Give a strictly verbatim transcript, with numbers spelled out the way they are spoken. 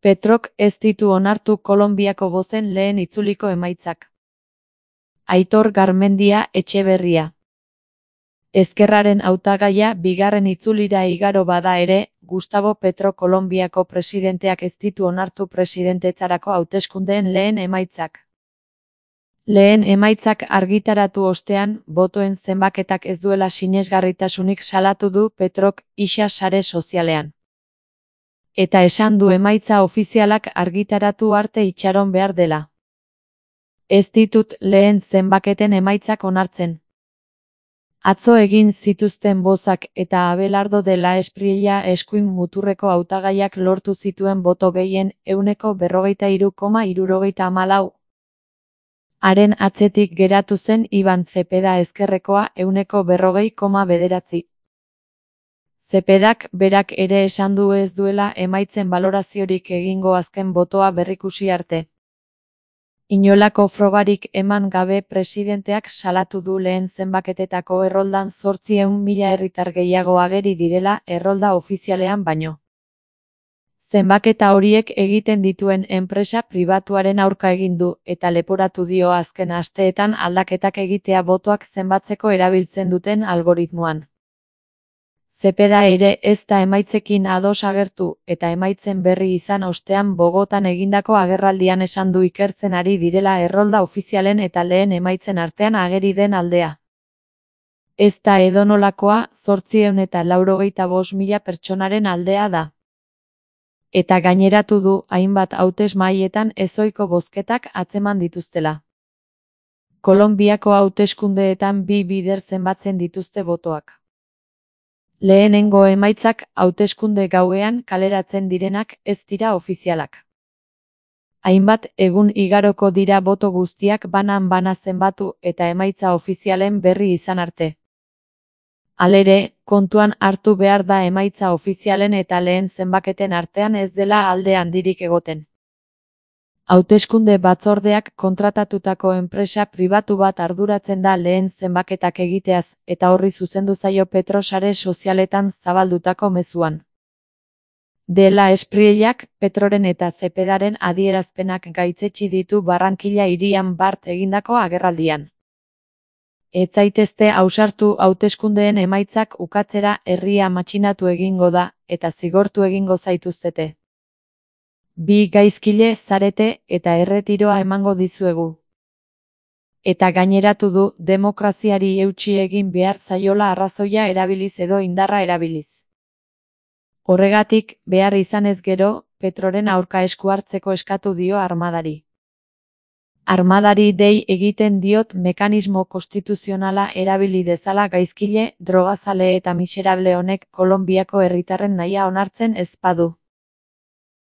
Petrok ez ditu onartu Kolonbiako bozen lehen itzuliko emaitzak. Aitor Garmendia Etxeberria. Ezkerraren hautagaia bigarren itzulira igaro bada ere, Gustavo Petro Kolonbiako presidenteak ez ditu onartu presidentetzarako hauteskundeen lehen emaitzak. Lehen emaitzak argitaratu ostean, botoen zenbaketak ez duela sinesgarritasunik salatu du Petrok isa sare sozialean. Eta esan du emaitza ofizialak argitaratu arte itxaron behar dela. Ez ditut lehen zenbaketen emaitzak onartzen. Atzo egin zituzten bozak eta Abelardo de la Espriella eskuin muturreko hautagaiak lortu zituen boto gehien ehuneko berrogeita hiru koma hirurogeita hamalau. Haren atzetik geratu zen Iban Zepeda ezkerrekoa ehuneko berrogei koma bederatzi. Zepedak berak ere esan du ez duela emaitzen baloraziorik egingo azken botoa berrikusi arte. Inolako frogarik eman gabe presidenteak salatu du lehen zenbaketetako erroldan zortziehun mila herritar gehiago ageri direla errolda ofizialean baino. Zenbaketa horiek egiten dituen enpresa pribatuaren aurka egin du eta leporatu dio azken asteetan aldaketak egitea botoak zenbatzeko erabiltzen duten algoritmoan. Zepeda ere ez da emaitzekin ados agertu eta emaitzen berri izan ostean Bogotan egindako agerraldian esan du ikertzen ari direla errolda ofizialen eta lehen emaitzen artean ageri den aldea. Ez da edonolakoa, zortziehun eta laurogeita bost mila pertsonaren aldea da. Eta gaineratu du hainbat hautesmahaietan ezohiko bozketak atzeman dituztela. Kolonbiako hauteskundeetan bi bider zenbatzen dituzte botoak. Lehenengo emaitzak hauteskunde gauean kaleratzen direnak ez dira ofizialak. Hainbat egun igaroko dira boto guztiak banan-bana zenbatu eta emaitza ofizialen berri izan arte. Halere, kontuan hartu behar da emaitza ofizialen eta lehen zenbaketen artean ez dela alde handirik egoten. Hauteskunde batzordeak kontratatutako enpresa pribatu bat arduratzen da lehen zenbaketak egiteaz, eta horri zuzendu zaio Petro sare sozialetan zabaldutako mezuan. De la Espriellak, Petroren eta Zepedaren adierazpenak gaitzetsi ditu Barranquilla hirian bart egindako agerraldian. Ez zaitezte ausartu hauteskundeen emaitzak ukatzera herria matxinatu egingo da, eta zigortu egingo zaituztete. Bi gaizkile zarete eta erretiroa emango dizuegu. Eta gaineratu du demokraziari eutsi egin behar zaiola arrazoia erabiliz edo indarra erabiliz. Horregatik, behar izanez gero, Petroren aurka esku hartzeko eskatu dio armadari. Armadari dei egiten diot mekanismo konstituzionala erabili dezala gaizkile, drogazale eta miserable honek Kolonbiako herritarren nahia onartzen ez badu.